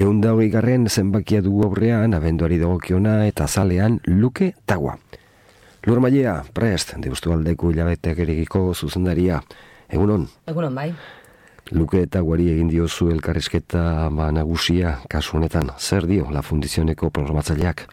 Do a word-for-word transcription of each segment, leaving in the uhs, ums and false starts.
Ehun da hogei garren zenbakia dugu aurrean, abenduari dagokiona eta zalean Luke Tagua. Lur Mailea, prest, Deustualdeko hilabeteak eregiko zuzendaria. Egunon? Egunon, bai. Luke Taguari egin diozu elkarrizketa ba, nagusia kasu honetan. Zer dio La Fundizioneko programatzaileak?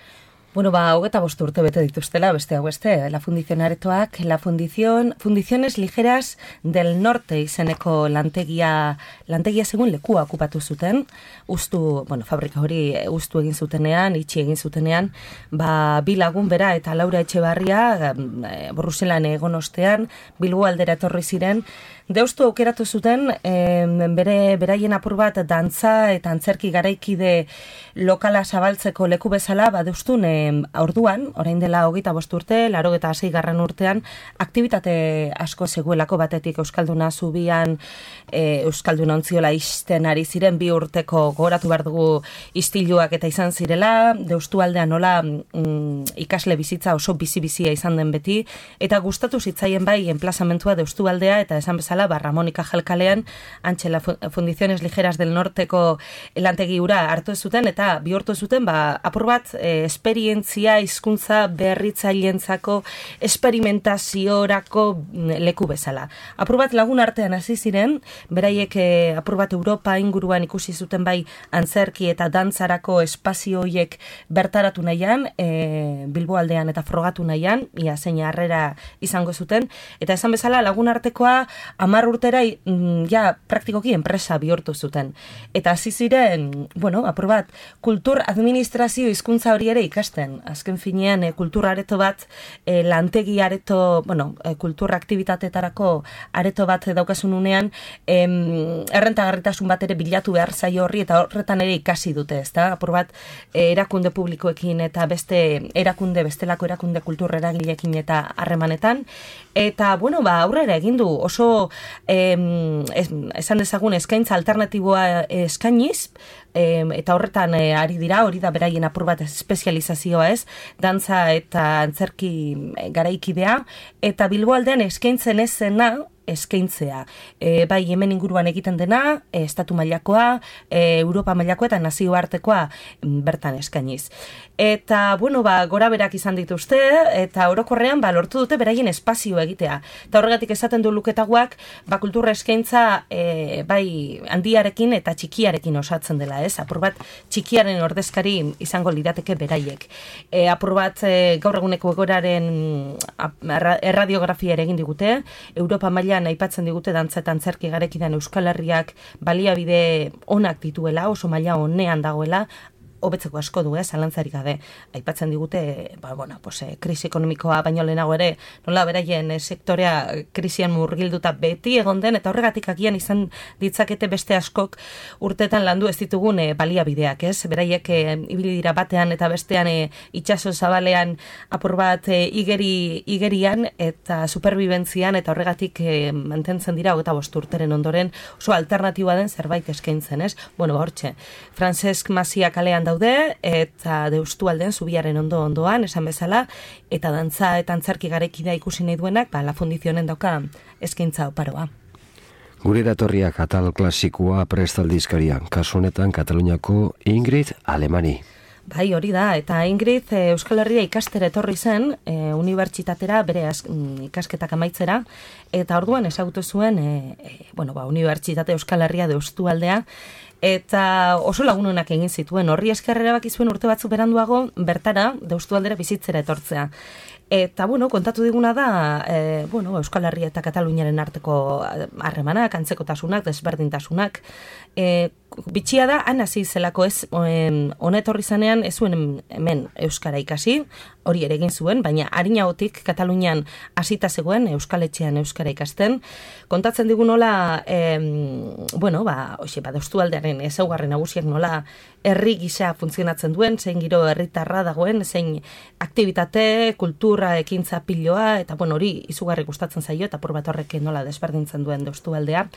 Bueno, ba, hogeta bost urte bete dituztela, beste hau beste, La Fundición aretoak, La Fundición, Fundiciones Ligeras del Norte izeneko lantegia, lantegia segun lekua okupatu zuten, ustu, bueno, fabrika hori ustu egin zutenean, itxi egin zutenean, ba, bi lagun bera eta Laura Etxebarria, e, Bruselan egon ostean, Bilbo aldera etorri ziren, Deustu aukeratu zuten, e, bere beraien apur bat dantza eta antzerki garaikide lokala zabaltzeko leku bezala, ba, Deustun e, orduan, orain dela hogeita bost urte, laurogeita sei garren urtean, aktibitate asko zegoelako batetik Euskalduna zubian, e, Euskalduna ontziola isten ari ziren bi urteko gogoratu behar dugu istiluak eta izan zirela, Deustu aldean nola mm, ikasle bizitza oso bizi-bizia izan den beti, eta gustatu zitzaien bai enplazamentua Deustu aldea, eta esan bezala, ba, Ramonika Jalkalean, antxe La Fundiciones Ligeras del Norteko lantegi hura hartu zuten, eta bihurtu zuten, ba, apur bat, e, esperientzia, hizkuntza berritzailentzako, esperimentaziorako leku bezala. Apur bat lagun artean hasi ziren, beraiek e, apur bat Europa inguruan ikusi zuten bai antzerki eta dantzarako espazio horiek bertaratu nahian, e, Bilbo aldean eta frogatu nahian, ia zein harrera izango zuten, eta esan bezala lagun artekoa hamar urtera ja praktikoki enpresa bihurtu zuten. Eta hasi ziren, bueno, apur bat, kultur administrazio hizkuntza hori ere ikasten. Azken finean, e, kultur areto bat, e, lantegi areto, bueno, e, kultur aktibitatetarako areto bat daukasun unean, em, errentagarritasun bat ere bilatu behar zaio horri, eta horretan ere ikasi dute, ezta? Apur bat, e, erakunde publikoekin eta beste erakunde, bestelako erakunde kultur eragileekin eta harremanetan. Eta, bueno, ba, aurrera egin du oso em, es, esan dezagun eskaintza alternatiboa eskainiz, em, eta horretan e, ari dira, hori da beraien apur bat espezializazioa ez, dantza eta antzerki garaikidea, eta Bilbo aldean eskaintzen ez zena, eskaintzea. E, bai, hemen inguruan egiten dena, e, estatu mailakoa, e, Europa mailakoa eta nazioartekoa bertan eskainiz. Eta, bueno, ba, gora berak izan dituzte, eta orokorrean, ba, lortu dute beraien espazio egitea. Eta horregatik esaten du Luke Taguak, ba, kultura eskaintza, e, bai, handiarekin eta txikiarekin osatzen dela, ez? Apur bat, txikiaren ordezkari izango lirateke beraiek. E, apur bat, e, gaur eguneko egoraren erradiografia ere egin digute, Europa mailan aipatzen digute dantza eta antzerki garekidan Euskal Herriak baliabide onak dituela, oso maila onean dagoela, hobetzeko asko du, eh, zalantzarik gabe. Aipatzen digute, ba, bueno, pues, eh, krisi ekonomikoa baino lehenago ere, nola beraien eh, sektorea krisian murgilduta beti egon den, eta horregatik agian izan ditzakete beste askok urtetan landu ez ditugun eh, baliabideak, ez? Beraiek eh, ibili dira batean eta bestean eh, itsaso zabalean apur bat eh, igeri, igerian eta superbibentzian, eta horregatik eh, mantentzen dira hogeita bost urteren ondoren oso alternatiba den zerbait eskaintzen, ez? Bueno, hortxe, Francesc Masia kalean daude, eta Deustu aldean zubiaren ondo ondoan, esan bezala, eta dantza eta antzerki garaikidea ikusi nahi duenak, ba, La Fundizionen dauka eskaintza oparoa. Gure eratorriak atal klasikoa prestaldizkaria, kasu honetan Kataluniako Ingrid Alemani. Bai, hori da, eta Ingrid e, Euskal Herria ikastera etorri zen, e, unibertsitatera bere az, m, ikasketak amaitzera, eta orduan ezagutu zuen, e, e, bueno, ba, Unibertsitate Euskal Herria Deustu aldea, eta oso lagunonak egin zituen, horri eskerrera baki zuen urte batzu beranduago, bertara, Deustu aldera bizitzera etortzea. Eta, bueno, kontatu diguna da, e, bueno, Euskal Herria eta Kataluniaren arteko harremanak, antzekotasunak, desberdintasunak. E, bitxia da, han hasi zelako ez, honetorri zanean, ez zuen hemen Euskara ikasi, hori ere egin zuen, baina harinagotik Katalunian hasita zegoen, Euskal Etxean Euskara ikasten. Kontatzen digu nola, e, bueno, ba, hoxe, ba, Deustu aldearen ezaugarri nagusiak nola herri gisa funtzionatzen duen, zein giro herritarra dagoen, zein aktivitate, kultura, ekintza piloa, eta bueno, hori izugarri gustatzen zaio, eta apur bat horrek nola desberdintzen duen Deustu aldea.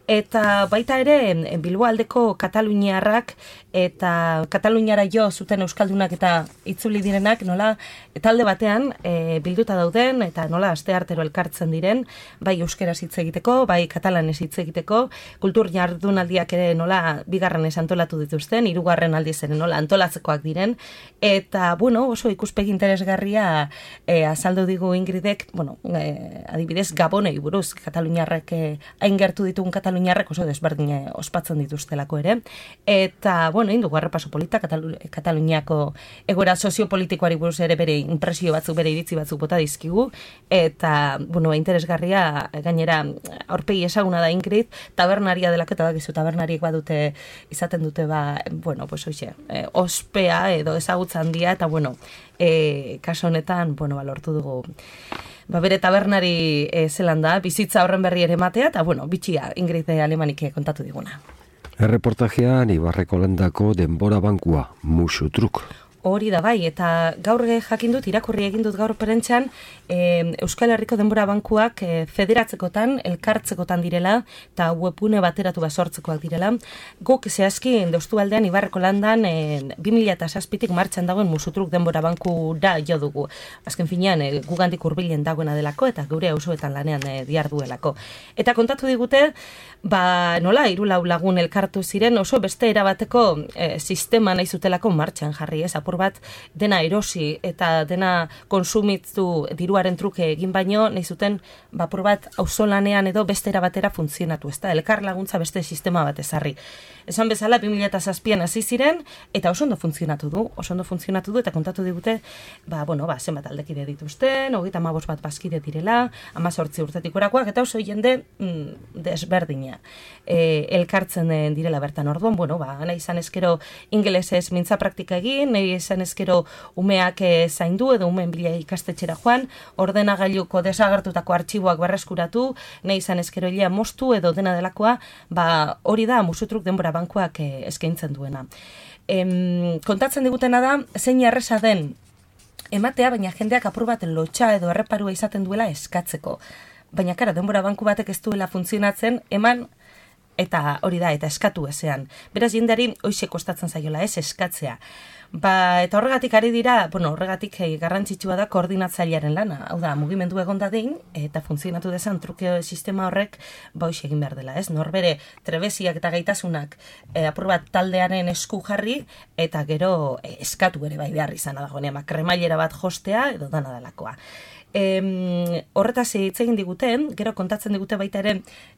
Eta baita ere, Bilbo aldeko aurreko kataluniarrak eta kataluniara jo zuten euskaldunak eta itzuli direnak nola talde batean e, bilduta dauden eta nola asteartero elkartzen diren, bai euskeraz hitz egiteko, bai katalanez hitz egiteko, kultur jardunaldiak ere nola bigarrenez antolatu dituzten, hirugarren aldiz ere nola antolatzekoak diren, eta bueno, oso ikuspegi interesgarria e, azaldu digu Ingridek, bueno, e, adibidez Gabonei buruz, kataluniarrek e, hain gertu ditugun kataluniarrek oso desberdin ospatzen dituztelako ere, eta bueno, indugu arrepaso polita Katalu Kataluniako egoera soziopolitikoari buruz ere bere impresio batzuk, bere iritzi batzuk bota dizkigu, eta bueno, interesgarria gainera aurpegi ezaguna da Ingrid, tabernaria delako, eta dakizu tabernariek badute izaten dute ba, bueno, pues hoxe, e, ospea edo ezagutza handia, eta bueno, e, kaso honetan, bueno, ba, lortu dugu ba, bere tabernari e, zelan da, bizitza horren berri ere matea, eta bueno, bitxia Ingrid Alemanik kontatu diguna. Erreportajean Ibarreko Landako denbora bankua, musu truk. Hori da bai, eta gaur jakin dut, irakurri egin dut gaur perentxan, e, Euskal Herriko denbora bankuak e, federatzekotan, elkartzekotan direla, eta webgune bateratu basortzekoak direla. Guk zehazki, deustu aldean, Ibarreko Landan, e, bi mila zazpitik martxan dagoen musutruk denbora banku da jo dugu. Azken finean, e, gugandik hurbilen dagoena delako, eta gure auzoetan lanean e, diarduelako. Eta kontatu digute, ba, nola, hiru lagun elkartu ziren, oso beste erabateko e, sistema nahi zutelako martxan jarri, ez, apur bat dena erosi eta dena konsumitzu diruaren truke egin baino, nahi zuten apur bat auzolanean edo beste erabatera funtzionatu, ezta, elkar laguntza beste sistema bat ezarri. Esan bezala, bi mila zazpian hasi ziren, eta oso ondo funtzionatu du, oso ondo funtzionatu du, eta kontatu digute, ba, bueno, ba, zenbat aldekide dituzten, hogeita hamabost bat bazkide direla, hamazortzi urtetik orakoak, eta oso jende mm, desberdina e, elkartzen direla bertan. Orduan, bueno, ba, nahi izan ezkero ingelesez mintza praktika egin, nahi izan ezkero umeak e, zaindu, edo umeen bila ikastetxera joan, ordenagailuko desagertutako artxiboak berreskuratu, nahi izan ezkero hilea moztu, edo dena delakoa, ba, hori da musutruk denbora bankuak e, eskaintzen duena. Em, kontatzen digutena da, zein erresa den ematea, baina jendeak apur bat lotxa edo erreparua izaten duela eskatzeko. Baina kara, denbora banku batek ez duela funtzionatzen, eman eta hori da, eta eskatu ezean. Beraz, jendeari hoxe kostatzen zaiola, ez eskatzea. Ba, eta horregatik ari dira, bueno, horregatik hey, garrantzitsua da koordinatzailearen lana. Hau da, mugimendu egon dadin, eta funtzionatu dezan truke sistema horrek, ba, hoxe egin behar dela, ez? Norbere trebeziak eta gaitasunak e, apur bat taldearen esku jarri, eta gero e, eskatu ere bai behar izan dagoen, kremailera bat jostea, edo dana delakoa. E, horretaz hitz egin diguten, gero kontatzen digute baita ere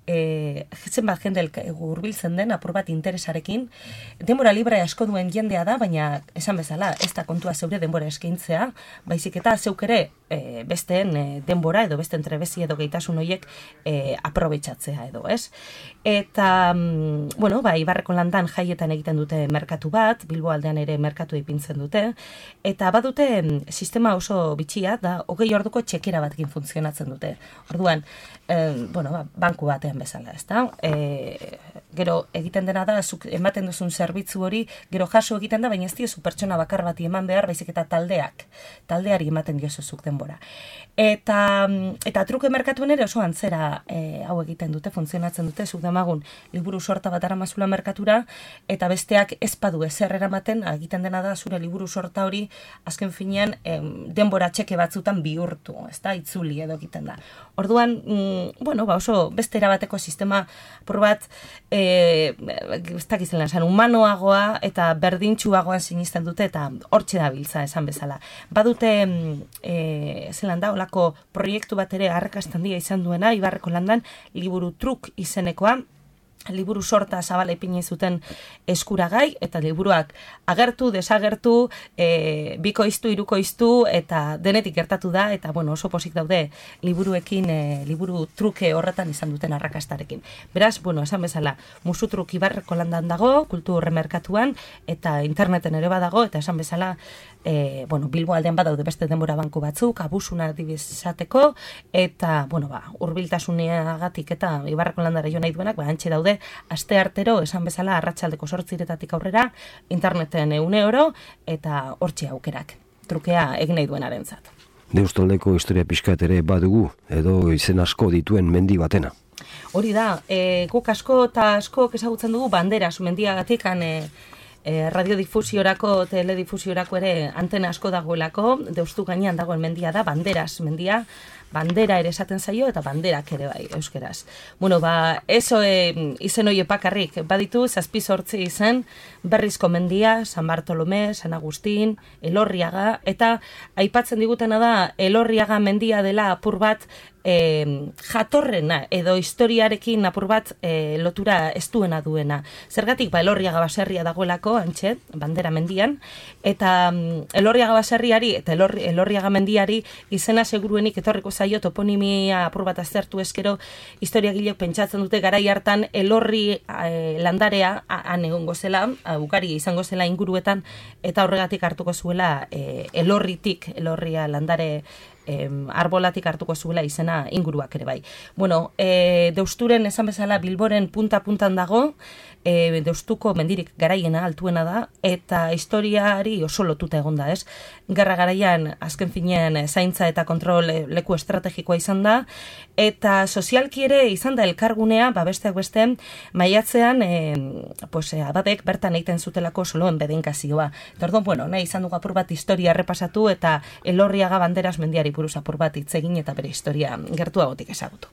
e, zenbat jende hurbiltzen den apur bat interesarekin. Denbora libre asko duen jendea da, baina esan bezala, ez da kontua zeure denbora eskaintzea, baizik eta zeuk ere e, besteen e, denbora edo beste entrebezi edo geitasun horiek e, aprobetxatzea edo, ez? Eta, mm, bueno, ba, Ibarreko Landan jaietan egiten dute merkatu bat, Bilbo aldean ere merkatu ipintzen dute, eta badute sistema oso bitxia, da, hogei orduko txekera batkin funtzionatzen dute. Orduan, eh, bueno, ba, banku batean bezala, ezta? E, gero egiten dena da, zuk ematen duzun zerbitzu hori, gero jaso egiten da, baina ez diozu pertsona bakar bati eman behar, baizik eta taldeak, taldeari ematen diozuzuk denbora. Eta, eta truke merkatuen ere oso antzera e, hau egiten dute, funtzionatzen dute, zuk demagun liburu sorta bat aramazula merkatura, eta besteak ez badu ezer eramaten, egiten dena da, zure liburu sorta hori, azken finean, em, denbora txeke batzutan bihurtu, ez da, itzuli edo egiten da. Orduan, mm, bueno, ba oso beste erabateko sistema, por bat, e, ez dakizela esan, humanoagoa eta berdintxuagoan sinisten dute, eta hortxe da biltza esan bezala. Badute, e, zelan da, olako proiektu bat ere arrakastan dia izan duena, Ibarreko Landan, liburu truk izenekoa, liburu sorta zabala ipini zuten eskuragai, eta liburuak agertu, desagertu, e, bikoiztu, hirukoiztu, eta denetik gertatu da, eta bueno, oso pozik daude liburuekin, e, liburu truke horretan izan duten arrakastarekin. Beraz, bueno, esan bezala, musutruk Ibarreko Landan dago, kultur merkatuan, eta interneten ere badago, eta esan bezala, e, bueno, Bilbo aldean badaude beste denbora banku batzuk, abusuna adibizateko, eta, bueno, ba, hurbiltasuneagatik eta Ibarreko Landara jo nahi duenak, ba, antxe daude, aste artero, esan bezala, arratsaldeko zortziretatik aurrera, interneten ehun euro, eta hortxe aukerak, trukea egin nahi duenarentzat. Deustaldeko historia pixkat ere badugu, edo izen asko dituen mendi batena. Hori da, e, guk asko eta asko ezagutzen dugu banderas, mendiagatik, e, e, radiodifusiorako, teledifusiorako ere antena asko dagoelako, Deustu gainean dagoen mendia da, banderas mendia, bandera ere esaten zaio eta banderak ere bai, euskeraz. Bueno, ba, eso e, izen hori epakarrik, baditu, zazpi zortzi izen, Berrizko mendia, San Bartolome, San Agustin, Elorriaga, eta aipatzen digutena da, Elorriaga mendia dela apur bat, E, jatorrena edo historiarekin apur bat e, lotura estuena duena. Zergatik, ba, Elorriaga baserria dagoelako, antxe, bandera mendian, eta um, Elorriaga baserriari eta Elorri, Elorriaga mendiari izena seguruenik etorriko zaio toponimia apur bat aztertu eskero, historiagilek pentsatzen dute garai hartan Elorri e, landarea han egongo zela, ugari izango zela inguruetan, eta horregatik hartuko zuela e, Elorritik, Elorria landare Em, arbolatik hartuko zuela izena inguruak ere bai. Bueno, e, Deusturen esan bezala Bilboren punta-puntan dago, e, Deustuko mendirik garaiena altuena da, eta historiari oso lotuta egonda, ez? Gerra garaian, azken finean, zaintza eta kontrol leku estrategikoa izan da, eta sozialki ere izan da elkargunea, ba besteak beste, maiatzean, e, pues, abadek bertan egiten zutelako soloen bedenkazioa. Tordon, bueno, nahi izan dugu apur bat historia errepasatu, eta Elorriaga banderas mendiari buruz apur bat hitz egin eta bere historia gertuagotik ezagutu.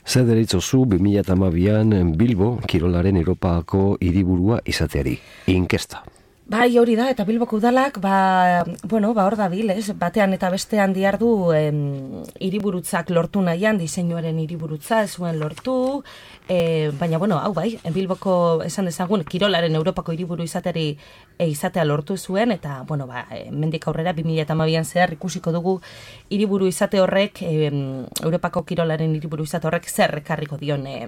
Zer deritzozu bi mila hamabian Bilbo kirolaren Europako hiriburua izateari? Inkesta. Bai, hori da, eta Bilboko udalak, ba, bueno, ba, hor da bil, ez? Batean eta bestean diardu em, hiriburutzak lortu nahian, diseinuaren hiriburutza ez zuen lortu, e, baina, bueno, hau bai, Bilboko esan dezagun, kirolaren Europako hiriburu izateri e, izatea lortu zuen, eta, bueno, ba, e, mendik aurrera, bi mila hamabian zehar ikusiko dugu hiriburu izate horrek, e, Europako kirolaren hiriburu izate horrek zer ekarriko dion e,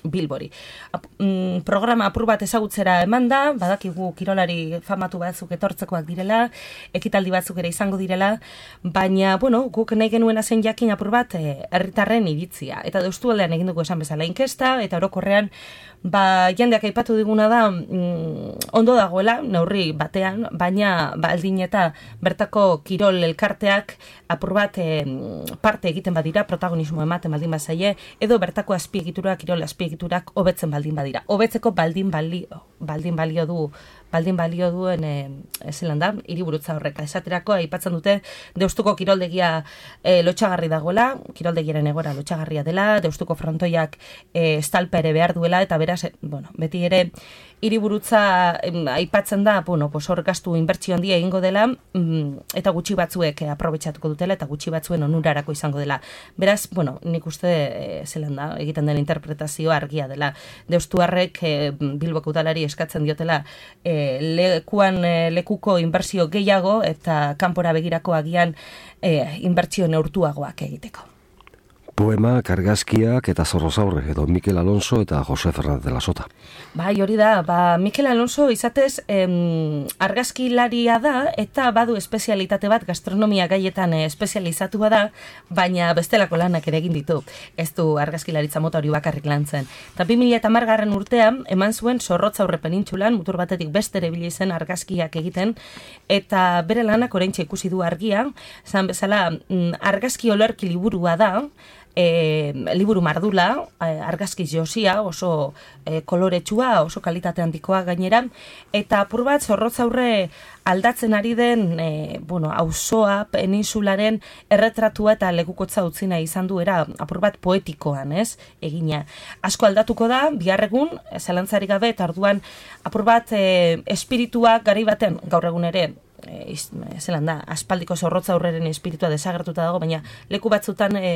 Bilbori. Ap, mm, programa apur bat ezagutzera eman da, badakigu kirolari famatu batzuk etortzekoak direla, ekitaldi batzuk ere izango direla, baina, bueno, guk nahi genuena zen jakin apur bat eh, herritarren iritzia. Eta Deustualdean egin dugu esan bezala inkesta, eta orokorrean, ba, jendeak aipatu diguna da, mm, ondo dagoela, neurri batean, baina baldin eta bertako kirol elkarteak apur bat eh, parte egiten badira, protagonismo ematen baldin bazaie, edo bertako azpiegiturak, kirol azpiegiturak hobetzen baldin badira. Hobetzeko baldin balio, baldin balio du, baldin balio duen e, zelan da, hiriburutza horrek. Esaterako, aipatzen dute, Deustuko kiroldegia e, lotxagarri dagoela, kiroldegiaren egora lotxagarria dela, Deustuko frontoiak e, estalpe ere behar duela, eta beraz, e, bueno, beti ere hiriburutza em, aipatzen da, bueno, pues hor gastu inbertsio handia egingo dela, mm, eta gutxi batzuek e, aprobetxatuko dutela, eta gutxi batzuen onurarako izango dela. Beraz, bueno, nik uste e, zelan da, egiten den interpretazioa argia dela. Deustuarrek e, Bilboko udalari eskatzen diotela e, lekuan e, lekuko inbertsio gehiago eta kanpora begirako agian e, inbertsio neurtuagoak egiteko. Poema, argazkiak eta Zorrozaurre edo Mikel Alonso eta Jose Fernández de la Sota. Bai, hori da, ba, Mikel Alonso izatez em, argazkilaria da eta badu espezialitate bat gastronomia gaietan eh, espezializatua da, baina bestelako lanak ere egin ditu. Ez du argazkilaritza mota hori bakarrik lantzen. Eta bi mila hamargarren urtean eman zuen Zorrotzaurre penintsulan mutur batetik beste erabili zen argazkiak egiten eta bere lanak oraintxe ikusi du argia, zan bezala mm, argazki olerki liburua da. E, liburu mardula, argazki josia, oso e, koloretsua, oso kalitate handikoa gainera, eta apur bat Zorrotzaurre aldatzen ari den, e, bueno, auzoa, peninsularen erretratua eta legukotza utzi nahi izan duera, apur bat poetikoan, ez, egina. Asko aldatuko da, bihar egun, zalantzari gabe, eta orduan apur bat e, espiritua gari baten, gaur egun ere, E, zelan da, aspaldiko Zorrotzaurreren espiritua desagertuta dago, baina leku batzutan e,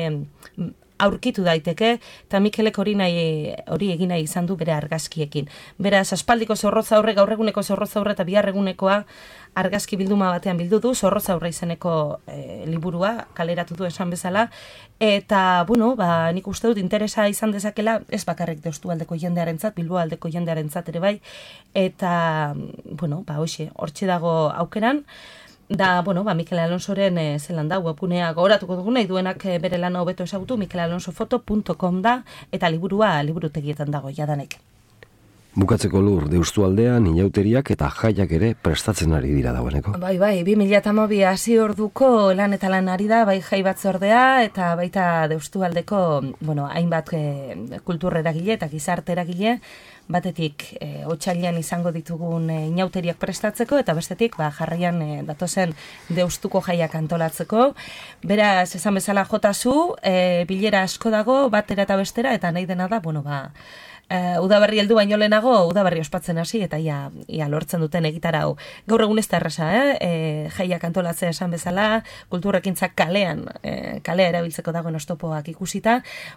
aurkitu daiteke, eta Mikelek hori nahi, hori egin nahi izan du bere argazkiekin. Beraz, aspaldiko Zorrotzaurre, gaur eguneko Zorrotzaurre eta bihar egunekoa argazki bilduma batean bildu du, Zorrotzaurre izeneko e, liburua kaleratu du esan bezala, eta, bueno, ba, nik uste dut interesa izan dezakela, ez bakarrik Deustualdeko jendearentzat, Bilboaldeko jendearentzat ere bai, eta, bueno, ba, hoxe, hortxe dago aukeran, da, bueno, ba, Mikel Alonsoren e, zelan da, webgunea gogoratuko dugu nahi duenak e, bere lana hobeto ezagutu, mikel alonso foto punto com da, eta liburua liburutegietan dago jadanek. Bukatzeko Lur, deustu aldean, inauteriak eta jaiak ere prestatzen ari dira dagoeneko. Bai, bai, bi mila hamabi hasi orduko lan eta lan ari da, bai jai batzordea eta baita deustu aldeko, bueno, hainbat e, kultur eragile eta gizarte eragile, batetik e, otsailean izango ditugun e, inauteriak prestatzeko eta bestetik ba, jarraian e, datozen deustuko jaiak antolatzeko. Beraz, esan bezala jotazu, e, bilera asko dago, batera eta bestera, eta nahi dena da, bueno, ba, Uh, udaberri heldu baino lehenago, udaberri ospatzen hasi, eta ia, ia lortzen duten egitarau. Gaur egun ez da erraza, eh? E, jaiak antolatzea esan bezala, kulturrekintzak kalean, e, kalea erabiltzeko dagoen ostopoak ikusita,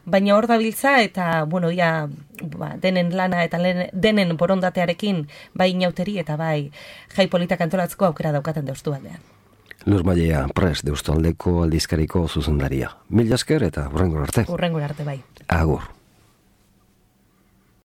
baina hor dabiltza, eta, bueno, ia, ba, denen lana eta len, denen borondatearekin, bai inauteri eta bai jai politak antolatzeko aukera daukaten deustu aldean. Lur Mailea, prest, deustu aldeko aldizkariko zuzendaria. Mil esker eta hurrengora arte. Hurrengora arte, bai. Agur.